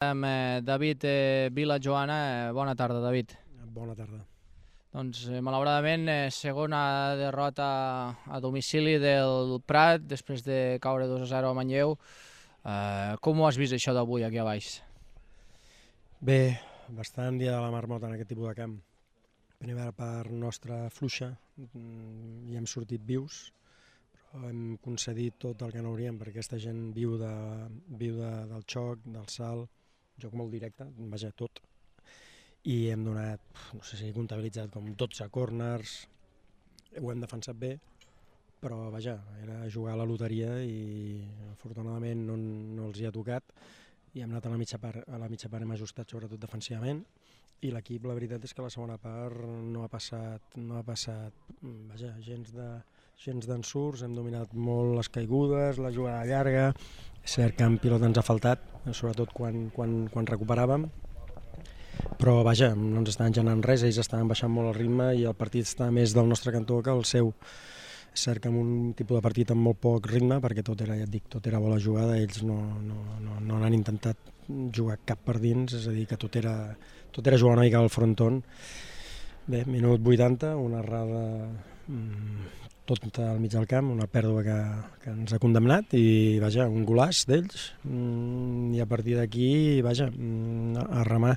Amb David Vila-Joana. Bona tarda, David. Bona tarda. Doncs, malauradament, segona derrota a domicili del Prat, després de caure 2-0 a Manlleu. Com ho has vist, això d'avui, aquí a baix? Bé, bastant dia de la marmota en aquest tipus de camp. Primera part nostra fluixa, i hem sortit vius, però hem concedit tot el que no hauríem, perquè aquesta gent viu del xoc, del salt, joc molt directe, vaja, tot. I hem donat, no sé si he comptabilitzat com 12 corners, ho hem defensat bé, però vaja, era jugar a la loteria i afortunadament no els hi ha tocat i hem anat a la mitja part hem ajustat sobretot defensivament i l'equip, la veritat és que la segona part no ha passat vaja, gens d'ensurts, hem dominat molt les caigudes, la jugada llarga, és cert que en pilota ens ha faltat, sobretot quan recuperàvem, però vaja, no ens estaven generant res, ells estaven baixant molt el ritme i el partit està més del nostre cantó que el seu. És cert que amb un tipus de partit amb molt poc ritme, perquè tot era, ja et dic, tot era bona jugada, ells no han intentat jugar cap per dins, és a dir, que tot era jugar una mica al fronton. Bé, minut 80, una errada tot al mig del camp, una pèrdua que ens ha condemnat i vaja, un golaç d'ells i a partir d'aquí, vaja, a remar.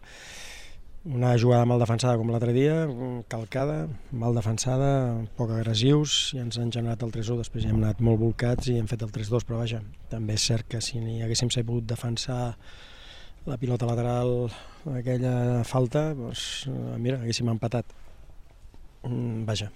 Una jugada mal defensada com l'altre dia, calcada, mal defensada, poc agressius, i ens han generat el 3-1, després ja hem anat molt volcats i hem fet el 3-2, però vaja, també és cert que si haguéssim sabut defensar la pilota lateral, aquella falta, doncs, mira, haguéssim empatat. Vaja,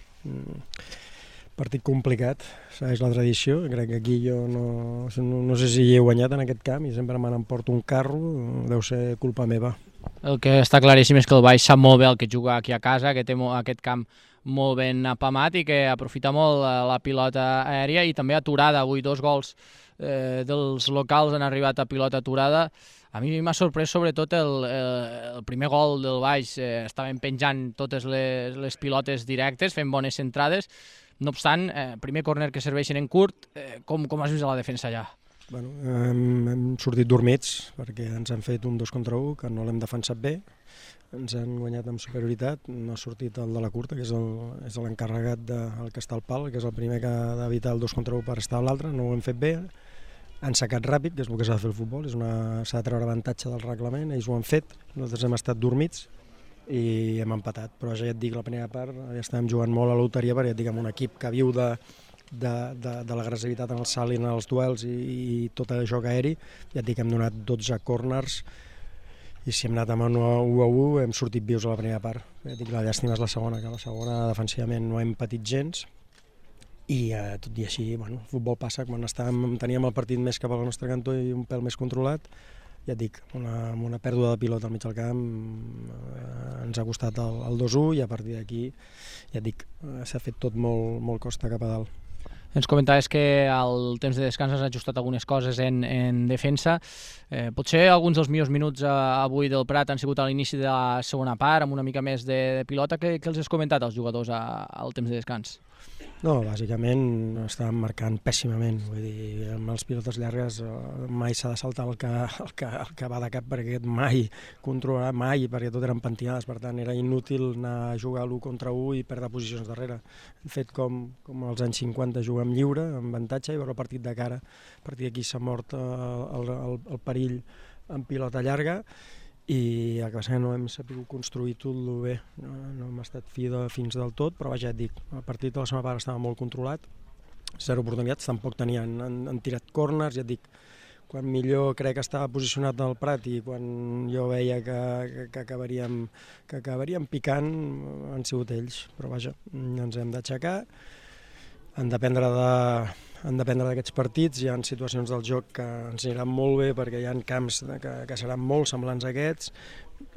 partit complicat, segueix la tradició, crec que aquí jo no sé si hi he guanyat en aquest camp i sempre me n'emporto un carro, deu ser culpa meva. El que està claríssim és que el Baix sap molt bé el que juga aquí a casa, que té aquest camp molt ben apamat i que aprofita molt la pilota aèria i també aturada. Avui 2 gols dels locals han arribat a pilota aturada. A mi m'ha sorprès sobretot el primer gol del Baix. Estaven penjant totes les pilotes directes, fent bones centrades. No obstant, primer córner que serveixen en curt, com has vist a la defensa allà? Bueno, hem sortit dormits perquè ens han fet un 2-1, que no l'hem defensat bé, ens han guanyat amb superioritat, no ha sortit el de la curta, que és l'encarregat del que està al pal, que és el primer que ha d'evitar el 2-1 per estar a l'altre, no ho hem fet bé, han sacat ràpid, que és el que s'ha de fer el futbol, s'ha de treure avantatge del reglament, ells ho han fet, nosaltres hem estat dormits i hem empatat, però ja et dic, la primera part ja estàvem jugant molt a la loteria perquè ja et dic, amb un equip que viu de l'agressivitat en el salt i en els duels i tot el joc aeri, ja et dic, hem donat 12 corners i si hem anat amb 1-1 hem sortit vius a la primera part. Ja et dic, la llàstima és la segona, que la segona defensivament no hem patit gens i tot i així, bueno, el futbol passa, quan teníem el partit més cap al nostre cantó i un pèl més controlat, ja et dic, amb una pèrdua de pilota al mig del camp ens ha costat el 2-1 i a partir d'aquí, ja et dic, s'ha fet tot molt costa cap a dalt. Ens comentaves que al temps de descans has ajustat algunes coses en defensa. Potser alguns dels millors minuts avui del Prat han sigut a l'inici de la segona part, amb una mica més de pilota. Què els has comentat als jugadors al temps de descans? No, bàsicament estàvem marcant pèssimament, vull dir, amb les pilotes llargues mai s'ha de saltar el que va de cap perquè aquest mai controlarà, mai, perquè tot eren pentinades, per tant era inútil anar a jugar l'1 contra 1 i perdre posicions darrere. Hem fet com als anys 50, jugar amb lliure, amb avantatge i veure el partit de cara. A partir d'aquí s'ha mort el perill en pilota llarga i el que passa que no hem sabut construir tot bé, no hem estat fins del tot, però vaja, et dic, el partit de la segona part estava molt controlat, 0 oportunitats, tampoc han tirat corners, ja et dic, quan millor crec que estava posicionat el Prat i quan jo veia que acabaríem picant han sigut ells, però vaja, ens hem d'aixecar, han d'aprendre d'aquests partits, hi ha situacions del joc que ens aniran molt bé perquè hi ha camps que seran molt semblants a aquests.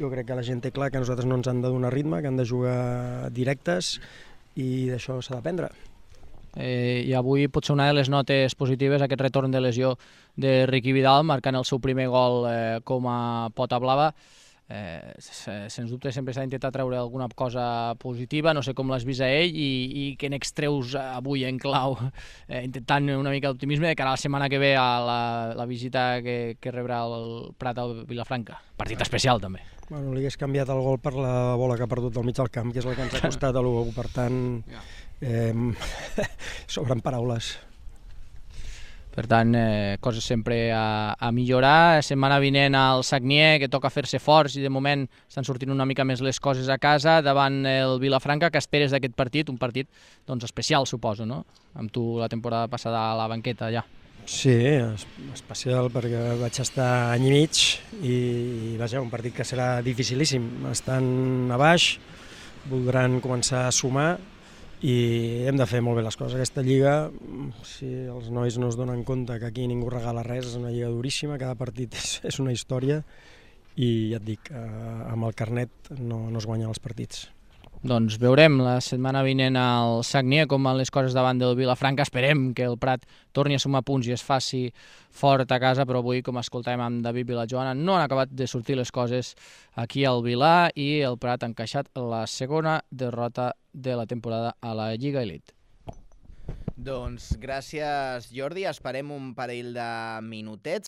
Jo crec que la gent té clar que a nosaltres no ens han de donar ritme, que han de jugar directes i d'això s'ha d'aprendre. I avui potser una de les notes positives, aquest retorn de lesió de Riqui Vidal, marcant el seu primer gol com a pota blava. Sens dubte sempre s'ha d'intentar treure alguna cosa positiva, no sé com l'has vist a ell i què n'extreus avui en clau, intentant una mica d'optimisme de cara a la setmana que ve a la visita que rebrà el Prat al Vilafranca. Partit especial també. Bueno, li hagués canviat el gol per la bola que ha perdut del mig del camp, que és la que ens ha costat a l'1, per tant, sobren paraules. Per tant, coses sempre a millorar. Setmana vinent al Sagnier, que toca fer-se forts i de moment estan sortint una mica més les coses a casa davant el Vilafranca. Què esperes d'aquest partit? Un partit especial, suposo, no? Amb tu la temporada passada a la banqueta ja. Sí, especial perquè vaig estar any i mig i vaja, un partit que serà dificilíssim. Estan a baix, voldran començar a sumar i hem de fer molt bé les coses. Aquesta lliga, si els nois no es donen compte que aquí ningú regala res, és una lliga duríssima, cada partit és una història i ja et dic, amb el carnet no es guanyen els partits. Doncs veurem la setmana vinent al Sagnier com van les coses davant del Vilafranca. Esperem que el Prat torni a sumar punts i es faci fort a casa, però avui, com escoltàvem amb David Vilajoana, no han acabat de sortir les coses aquí al Vilà i el Prat ha encaixat la segona derrota de la temporada a la Lliga Elite. Doncs gràcies, Jordi. Esperem un parell de minutets